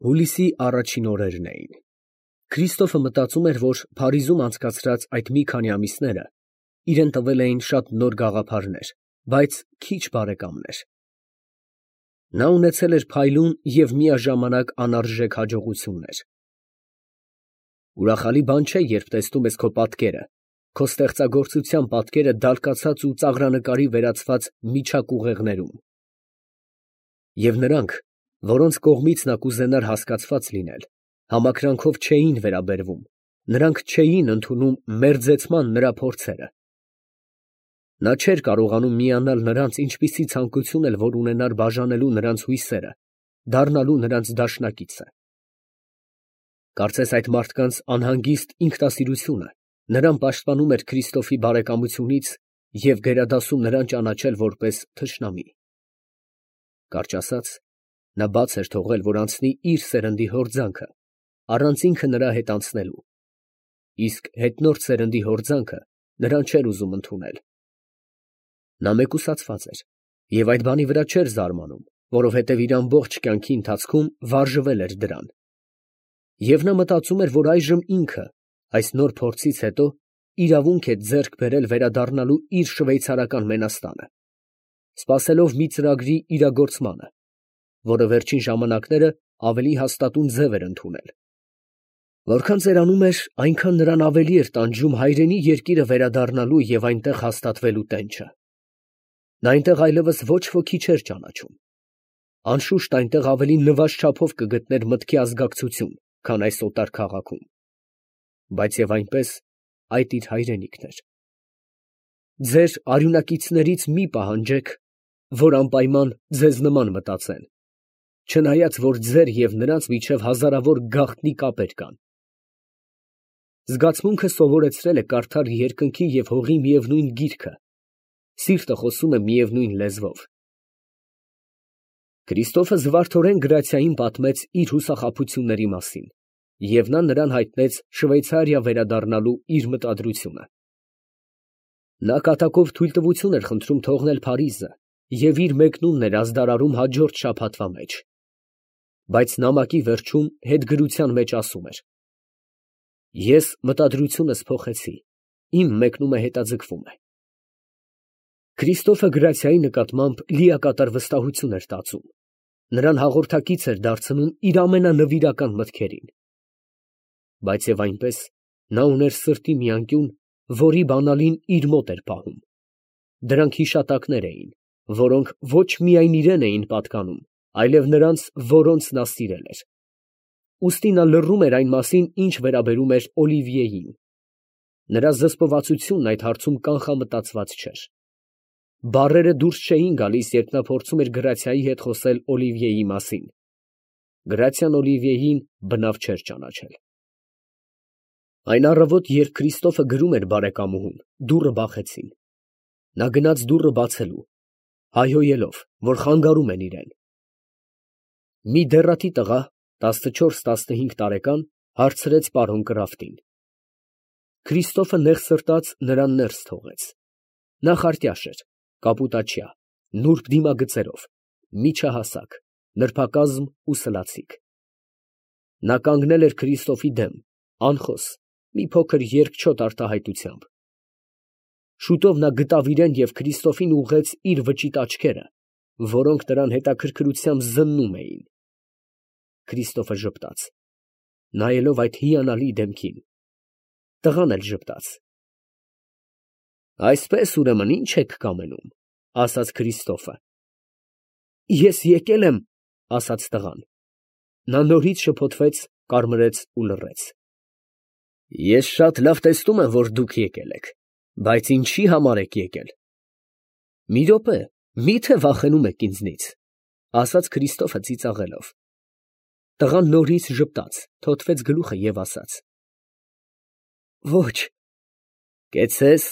Հուլիսի առաջին օրերն էին։ Քրիստոֆը մտածում էր, որ Փարիզում անցկացրած այդ մի քանի ամիսները իրան տվել էին շատ նոր գաղափարներ, բայց քիչ բարեկամներ։ Նա ունեցել էր փայլուն և միաժամանակ անարժեք հաջողություններ։ Ուրախալի բան չէ, երբ տեսնում ես քո պատկերը, քո ստեղծագործության պատկերը դալկացած ու ծաղրանկարի վերածված միջակուղեղներում։ Եվ նրանք, որոնց կողմից նա կուզենար հասկացված լինել, համակրանքով չէին վերաբերվում, նրանք չէին ընդունում մերձեցման նրա փորձերը։ Նա չէր կարողանում միանալ նրանց, ինչպիսի ցանկություն էլ որ ունենար բաժանելու նրանց հույսերը, դառնալու նրանց դաշնակիցը։ Կարծես այդ մարդկանց անհանգիստ ինքնասիրությունը նրան պաշտպանում էր Քրիստոֆի բարեկամությունից և գերադասում նրան ճանաչել որպես թշնամի։ Կարճ ասած, նա բաց էր թողել, որ անցնի իր սերնդի հորձանքը, առանց ինքը նրա հետ անցնելու, իսկ հետնորդ սերնդի հորձանքը նրան չէր ուզում ընդունել։ Նա մեկուսացված էր և այդ բանի վրա չէր զարմանում, որովհետև իր ամբողջ կյանքի ընթացքում վարժվել էր դրան։ Եվ նա մտածում էր, որ այժմ ինքը, այս նոր փորձից հետո, իրավունք է ձեռք բերել վերադառնալու իր շվեյցարական Մենաստանը, սպասելով մի ծրագրի իրագործմանը, որը վերջին ժամանակները ավելի հաստատուն ձև էր ընդունել։ Որքան ծերանում էր, այնքան նրան ավելի էր տանջում հայրենի երկիրը վերադառնալու և այնտեղ հաստատվելու տենչը։ Նա այնտեղ այլևս ոչ ոքի չէր ճանաչում։ Անշուշտ այնտեղ ավելի նվազ չափով կգտներ մտքի ազգակցություն, քան այս օտար քաղաքում, բայց և այնպես այդ իր հայրենիքն էր։ Ձեր արյունակիցներից մի պահանջեք, որ անպայման ձեզ նման մտածեն, չնայած որ ձեր և նրանց միջև հազարավոր գաղտնի կապեր կան։ Զգացմունքը սովորեցրել է կարդալ երկնքի և հողի միևնույն գիրքը, սիրտը խոսում է միևնույն լեզվով։ Քրիստոֆը զվարթորեն Գրացիային պատմեց իր հուսախաբությունների մասին, և նա նրան հայտնեց Շվեյցարիա վերադառնալու իր մտադրությունը։ Նա կատակով թույլտվություն էր խնդրում թողնել Փարիզը և իր մեկնումն էր ազդարարում հաջորդ շաբաթվա մեջ, բայց նամակի վերջում հետգրության մեջ ասում էր. «Ես մտադրությունս փոխեցի, իմ մեկնումը հետաձգվում է»։ Քրիստոֆը Գրացիայի նկատմամբ լիակատար վստահություն էր տածում, նրան հաղորդակից էր դարձնում իր ամենանվիրական մտքերին։ Բայց և այնպես նա ուներ սրտի մի անկյուն, որի բանալին իր մոտ էր պահում։ Դրանք հիշատակներ էին, որոնք ոչ միայն իրան էին պատկանում, այլև նրանց, որոնց նա սիրել էր։ Ուստի նա լռում էր այն մասին, ինչ վերաբերում էր Օլիվիեին։ Նրա զսպվածությունն այդ հարցում կանխամտածված չէր։ Բառերը դուրս չէին գալիս, երբ նա փորձում էր Գրացիայի հետ խոսել Օլիվիեի մասին։ Գրացիան Օլիվիեին բնավ չէր ճանաչել։ Այն առավոտ, երբ Քրիստոֆը գրում էր բարեկամուհուն, դուռը բախեցին։ Նա գնաց դուռը բացելու, հայհոյելով, որ խանգարում են իրան։ Մի դեռատի տղա, 14-15 տարեկան, հարցրեց պարոն Կրաֆտին։ Քրիստոֆը նեղսրտած նրան ներս թողեց։ Նա խարտյաշ էր, կապուտաչյա, նուրբ դիմագծերով, միջահասակ, նրբակազմ ու սլացիկ։ Նա կանգնել էր Քրիստոֆի դեմ, անխոս, մի փոքր երկչոտ արտահայտությամբ։ Շուտով նա գտավ իրան և Քրիստոֆին ուղղեց իր վճիտ աչքերը, որոնք նրան հետաքրքրությամբ զննում էին։ Քրիստոֆը ժպտաց, նայելով այդ հիանալի դեմքին։ Տղան էլ ժպտաց։ Այսպես, ուրեմն, ի՞նչ եք կամենում, ասաց Քրիստոֆը։ Ես եկել եմ, ասաց տղան։ Նա նորից շփոթվեց, կարմրեց ու լռեց։ Ես շատ լավ տեսնում եմ, որ դուք եկել եք, բայց ինչի համար եք եկել։ Մի րոպե, մի՞թե վախենում եք ինձնից, ասաց Քրիստոֆը ծիծաղելով։ Տղան նորից ժպտաց, թոթվեց գլուխը և ասաց. Ոչ։ Կեցցես,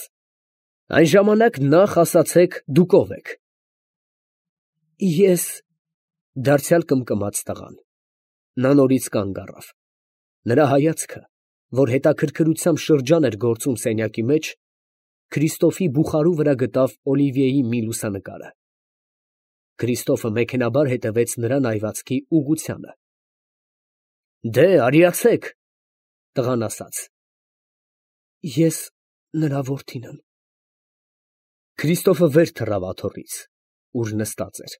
այն ժամանակ նախ ասացեք դուք ով եք։ Ես… դարձյալ կմկմաց տղան։ Նա նորից կանգ առավ։ Նրա հայացքը, որ հետաքրքրությամբ շրջան էր գործում սենյակի մեջ, Քրիստոֆի բուխարու վրա գտավ Օլիվիեի մի լուսանկարը։ Քրիստոֆը մեքենայաբար հետևեց նրա նայվածքի ուղղությանը։ Դե, արիացեք, տղան ասաց։ Ես նրա որդին եմ։ Քրիստոֆը վեր թռավ աթոռից, ուր նստած էր։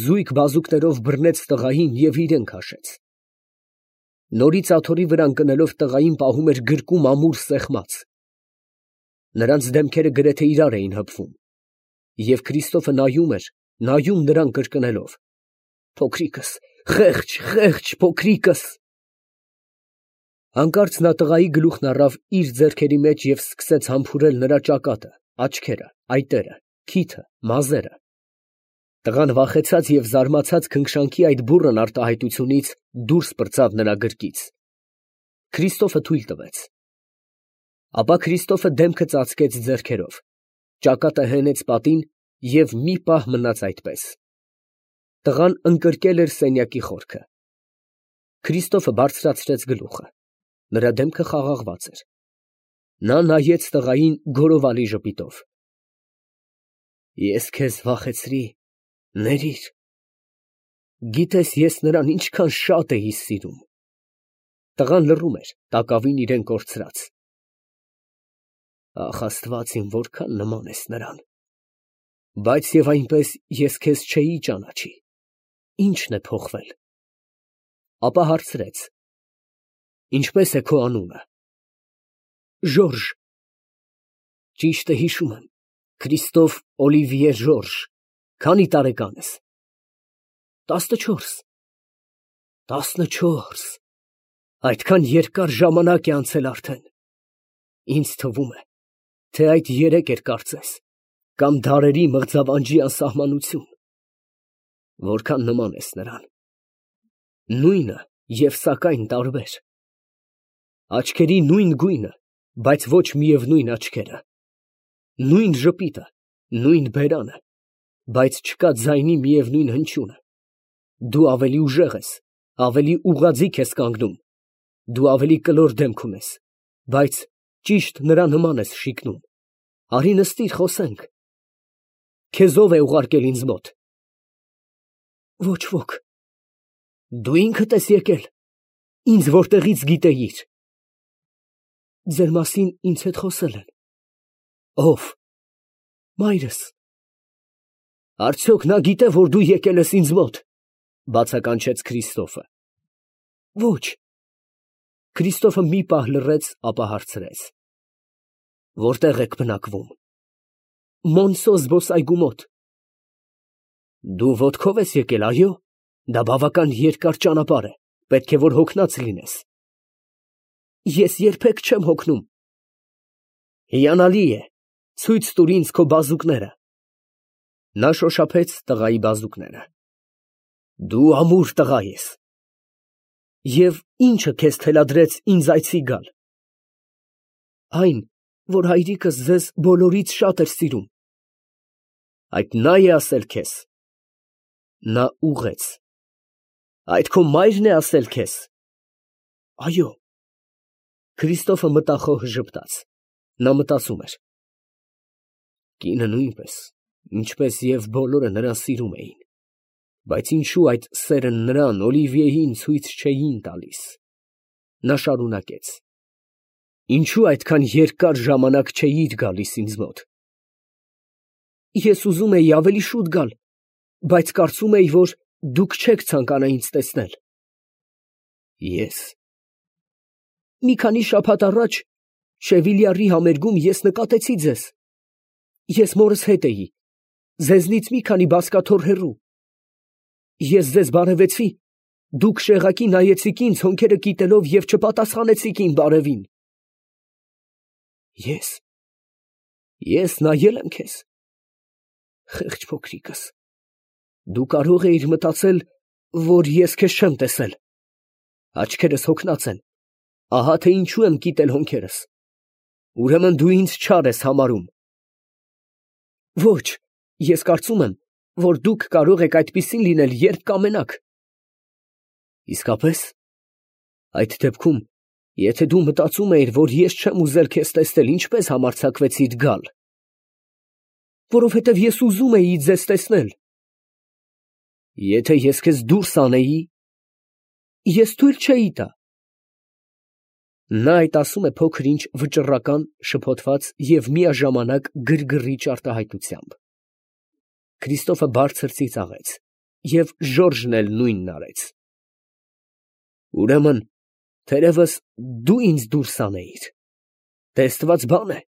Զույգ բազուկներով բռնեց տղային և իրեն քաշեց։ Նորից աթոռի վրա ընկնելով տղային պահում էր գրկում ամուր սեղմած։ Նրանց դեմքերը գրեթե իրար էին հպվում, և Քրիստոֆը նայում էր, նայում նրան կրկնելով. «Փոքրիկս, խեղճ, խեղճ փոքրիկս»։ Հանկարծ նա տղայի գլուխն առավ իր ձեռքերի մեջ և սկսեց համբուրել նրա ճակատը, աչքերը, այտերը, քիթը, մազերը։ Տղան վախեցած և զարմացած քնքշանքի այդ բուռն արտահայտությունից դուրս պրծավ նրա գրկից։ Քրիստոֆը թույլ տվեց։ Ապա Քրիստոֆը դեմքը ծածկեց ձեռքերով, ճակատը հենեց պատին և մի պահ մնաց այդպես։ Տղան ընկրկել էր սենյակի խորքը։ Քրիստոֆը բարձրացրեց գլուխը, նրա դեմքը խաղաղված էր։ Նա նայեց տղային գորովալի ժպիտով։ Ես քեզ վախեցրի, ներիր։ Գիտես, ես նրան ինչքան շատ էի սիրում։ Տղան լռում էր, տակավին իրեն կորցրած։ Ախ, Աստված իմ, որքան նման ես նրան։ Բայց և այնպես ես քեզ չէի ճանաչի։ Ի՞նչն է փոխվել։ Ապա հարցրեց. Ինչպե՞ս է քո անունը։ Ժորժ։ Ճիշտ է հիշում եմ, Քրիստոֆ Օլիվիե Ժորժ։ Քանի տարեկան ես։ 14։ 14։ Այդքան երկար ժամանակ է անցել արդեն։ Ինձ թվում է, թե այդ երեկ էր կարծես, կամ դարերի մղձավանջի անսահմանություն։ Որքան նման ես նրան։ Նույնը և սակայն տարբեր։ Աչքերի նույն գույնը, բայց ոչ միևնույն աչքերը։ Նույն ժպիտը, նույն բերանը, բայց չկա ձայնի միևնույն հնչյունը։ Դու ավելի ուժեղ ես, ավելի ուղղաձիգ ես կանգնում։ Դու ավելի կլոր դեմք ունես, բայց ճիշտ նրա նման ես շիկնում։ Արի նստիր, խոսենք։ Քեզ ո՞վ է ուղարկել ինձ մոտ։ Ոչ ոք։ Դու ինքդ ես եկել, ինձ որտեղից գիտեիր։ Ձեր մասին ինձ հետ խոսել են։ Ո՞վ։ Մայրս։ Արդյոք նա գիտե, որ դու եկել ես ինձ մոտ, բացականչեց Քրիստոֆը։ Ոչ։ Քրիստոֆը մի պահ լռեց, ապա հարցրեց. Որտեղ եք բնակվում։ Մոնսո զբոսայգու մոտ։ Դու ոտքով ես եկել, այո։ Դա բավական երկար ճանապարհ է, պետք է որ հոգնած լինես։ Ես երբեք չեմ հոգնում։ Հիանալի է, ցույց տուր ինձ քո բազուկները։ Նա շոշափեց տղայի բազուկները։ Դու ամուր տղա ես։ Եվ ի՞նչը քեզ թելադրեց ինձ այցի գալ։ Այն, որ հայրիկս ձեզ բոլորից շատ էր սիրում։ Այդ նա է ասել քեզ։ Նա ուղղեց։ Այդ քո մայրն է ասել քեզ։ Այո։ Քրիստոֆը մտախոհ ժպտաց։ Նա մտածում էր. Կինը նույնպես, ինչպես և բոլորը նրան սիրում էին, բայց ինչու այդ սերը նրան, Օլիվիեին, ցույց չէին տալիս։ Նա շարունակեց. Ինչու այդքան երկար ժամանակ չէիր գալիս ինձ մոտ։ Ես ուզում էի ավելի շուտ գալ, բայց կարծում էի, որ դուք չեք ցանկանա ինձ տեսնել։ Ես։ Մի քանի շաբաթ առաջ Շևիլյարի համերգում ես նկատեցի ձեզ։ Ես մորս հետ էի, ձեզնից մի քանի բազկաթոռ հեռու։ Ես ձեզ բարևեցի, դուք շեղակի նայեցիք ինձ հոնքերը կիտելով և չպատասխանեցիք իմ բարևին։ Ես նայել եմ քեզ։ Խեղճ փոքրիկս, դու կարող էիր մտածել, որ ես քեզ չեմ տեսել։ Աչքերս հոգնած են, ահա թե ինչու եմ կիտել հոնքերս։ Ուրեմն դու ինձ չար ես համարում։ Ոչ, ես կարծում եմ, որ դուք կարող եք այդպիսին լինել, երբ կամենաք։ Իսկապես։ Այդ դեպքում, եթե դու մտածում էիր, որ ես չեմ ուզել քեզ տեսնել, ինչպես համարձակվեցիր գալ։ Որովհետև ես ուզում էի ձեզ տեսնել։ Եթե ես քեզ դուրս անեի։ Ես թույլ չէի տա։ Նա այդ ասում է փոքր ինչ վճռական, շփոթված և միաժամանակ գրգռիչ արտահայտությամբ։ Քրիստոֆը բարձր ծիծաղեց, և Ժորժն էլ նույնն արեց։ Ուրեմն, թերևս դու ինձ դուրս անեիր։ Տեսնված բան է,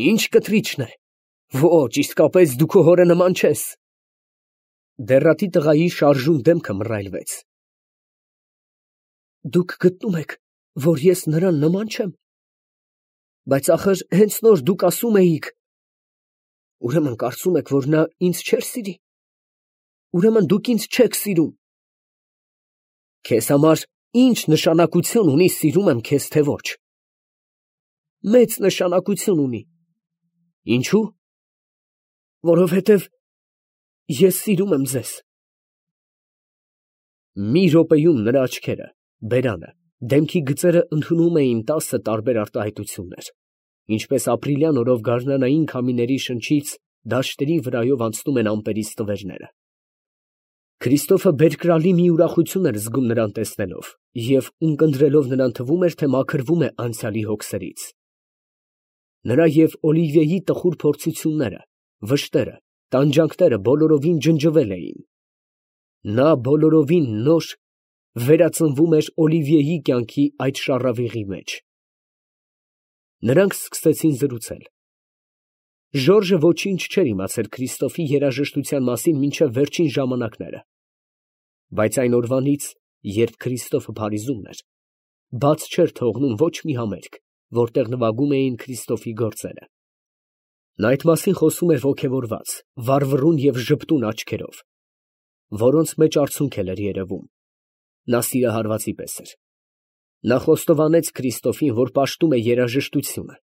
ինչ կտրիչն է։ Ոչ, իսկապես դու քո հորը նման չես։ Դեռատի տղայի շարժուն դեմքը մռայլվեց։ Դուք գտնում եք, որ ես նրան նման չեմ։ Բայց ախր հենց նոր դուք ասում էիք. ուրեմն կարծում եք, որ նա ինձ չէր սիրի։ Ուրեմն դուք ինձ չեք սիրում։ Քեզ համար ինչ նշանակություն ունի սիրում եմ քեզ, թե ոչ։ Մեծ նշանակություն ունի։ Ինչու՞։ Որովհետև ես սիրում եմ ձեզ։ Մի րոպեում նրա աչքերը, բերանը, դեմքի գծերը ընդունում էին 10 տարբեր արտահայտություններ, ինչպես ապրիլյան օրով գարնանային քամիների շնչից դաշտերի վրայով անցնում են ամպերի ստվերները։ Քրիստոֆը բերկրալի մի ուրախություն էր զգում նրան տեսնելով, և ունկնդրելով նրան թվում էր, թե մաքրվում է անցյալի հոգսերից։ Նրա և Օլիվիեի տխուր փորձությունները, վշտերը, տանջանքները բոլորովին ջնջվել էին։ Նա բոլորովին նոր վերածնվում էր Օլիվիեի կյանքի այդ շառավիղի մեջ։ Նրանք սկսեցին զրուցել։ Ժորժը ոչինչ չէր իմացել Քրիստոֆի երաժշտության մասին մինչև վերջին ժամանակները, բայց այն օրվանից, երբ Քրիստոֆը Փարիզումն էր, բաց չէր թողնում ոչ մի համերգ, որտեղ նվագում էին Քրիստոֆի գործերը։ Նա այդ մասին խոսում էր ոգևորված, վառվռուն և ժպտուն աչքերով, որոնց մեջ արցունք էր երևում։ Նա սիրահարվածի պես էր։ Նա խոստովանեց Քրիստոֆին, որ պաշտում է երաժշտությունը,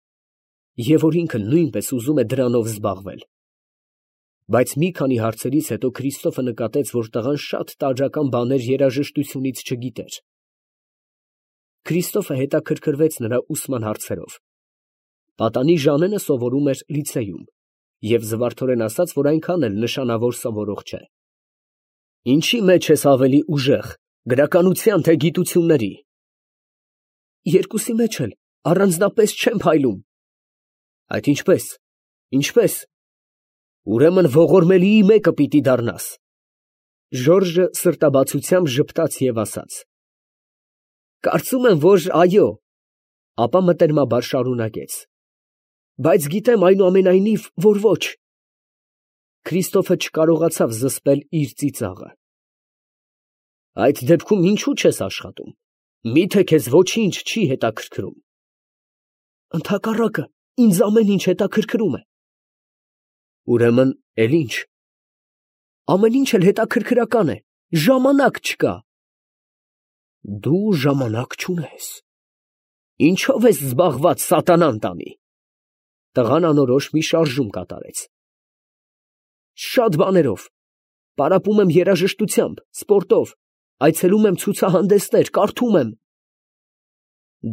և որ ինքը նույնպես ուզում է դրանով զբաղվել։ Բայց մի քանի հարցերից հետո Քրիստոֆը նկատեց, որ տղան շատ տարրական բաներ երաժշտությունից չգիտեր։ Քրիստոֆը հետաքրքրվեց նրա ուսման հարցերով։ Պատանի Ժանենը սովորում էր լիցեյում և զվարթորեն ասաց, որ այնքան էլ նշանավոր սովորող չէ։ Ինչի մեջ ես ավելի ուժեղ, գրականության, թե գիտությունների։ Երկուսի մեջ էլ առանձնապես չեմ փայլում։ Այդ ինչպես։ Ինչպես։ Ուրեմն ողորմելիի մեկը պիտի դառնաս։ Ժորժը սրտաբացությամբ ժպտաց և ասաց. Կարծում եմ, որ այո, ապա մտերմաբար շարունակեց. Բայց գիտեմ այնուամենայնիվ, որ ոչ։ Քրիստոֆը չկարողացավ զսպել իր ծիծաղը։ Այդ դեպքում ինչու չես աշխատում։ Միթե քեզ ոչինչ չի հետաքրքրում։ Ընդհակառակը, ինձ ամեն ինչ հետաքրքրում է։ Ուրեմն, էլ ինչ։ Ամեն ինչ էլ հետաքրքրական է, ժամանակ չկա։ Դու ժամանակ չունես։ Ինչո՞վ ես զբաղված, սատանան տանի։ Տղան անորոշ մի շարժում կատարեց։ Շատ բաներով։ Պարապում եմ երաժշտությամբ, սպորտով, այցելում եմ ցուցահանդեսներ, կարդում եմ։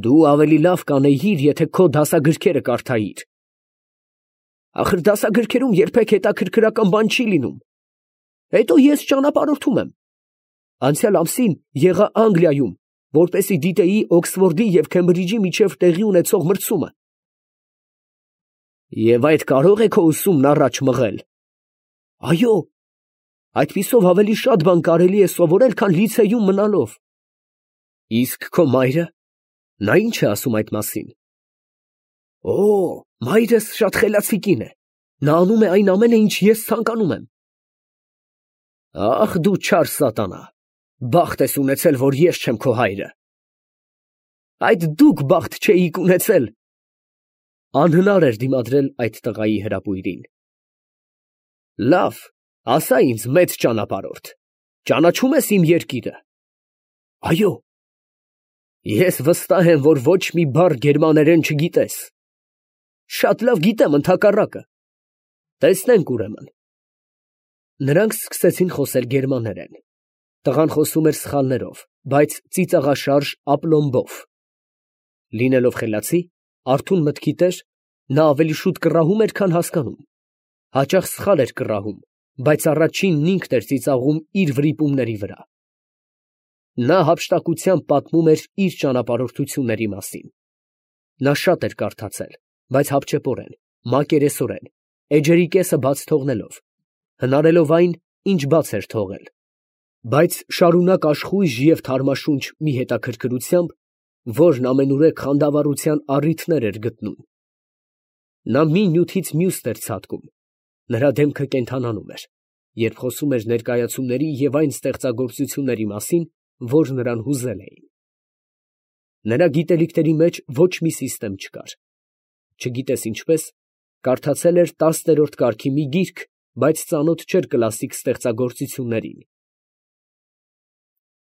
Դու ավելի լավ կանեիր, եթե քո դասագրքերը կարդայիր։ Ախր դասագրքերում երբեք հետաքրքրական բան չի լինում։ Հետո ես ճանապարհորդում եմ։ Անցյալ ամսին եղա Անգլիայում, որպեսզի դիտեի Օքսֆորդի և Քեմբրիջի միջև տեղի ունեցող մրցումը։ Եվ այդ կարող է քո ուսումն առաջ մղել։ Այո, այդպիսով ավելի շատ բան կարելի է սովորել, քան լիցեյում մնալով։ Իսկ քո մայրը, նա ինչ է ասում այդ մասին։ Օ, մայրս շատ խելացի կին է։ Նա անում է այն ամենը, ինչ ես ցանկանում եմ։ Ախ դու չար սատանա, բախտ ես ունեցել, որ ես չեմ քո հայրը։ Այդ դուք բախտ չէիք ունեցել։ Անհնար էր դիմադրել այդ տղայի հրապույրին։ Լավ, ասա ինձ մեծ ճանապարհորդ, ճանաչում ես իմ երկիրը։ Այո։ Ես վստահ եմ, որ ոչ մի բառ գերմաներեն չգիտես։ Շատ լավ գիտեմ ընդհակառակը։ Տեսնենք ուրեմն։ Նրանք սկսեցին խոսել գերմաներեն։ Տղան խոսում էր սխալներով, բայց ծիծաղաշարժ ապլոմբով։ Լինելով խելացի, արթուն մտքի տեր, նա ավելի շուտ կռահում էր, քան հասկանում։ Հաճախ սխալ էր կռահում, բայց առաջինն ինքն էր ծիծաղում իր վրիպումների վրա։ Նա հափշտակությամբ պատմում էր իր ճանապարհորդությունների մասին։ Նա շատ էր կարդացել, բայց հապճեպորեն, մակերեսորեն, էջերի կեսը բաց թողնելով, հնարելով այն, ինչ բաց էր թողել, բայց շարունակ աշխույժ և թարմաշունչ մի հետաքրքրությամբ, որն ամենուրեք խանդավառության առիթներ էր գտնում։ Նա մի նյութից մյուսն էր ցատկում, նրա դեմքը կենդանանում էր, երբ խոսում էր ներկայացումների և այն ստեղծագործությունների մասին, որ նրան հուզել էին։ Նրա գիտելիքների մեջ ոչ մի սիստեմ չկար, չգիտես ինչպես, կարդացել էր 10-րդ կարգի մի գիրք, բայց ծանոթ չէր կլասիկ ստեղծագործություններին,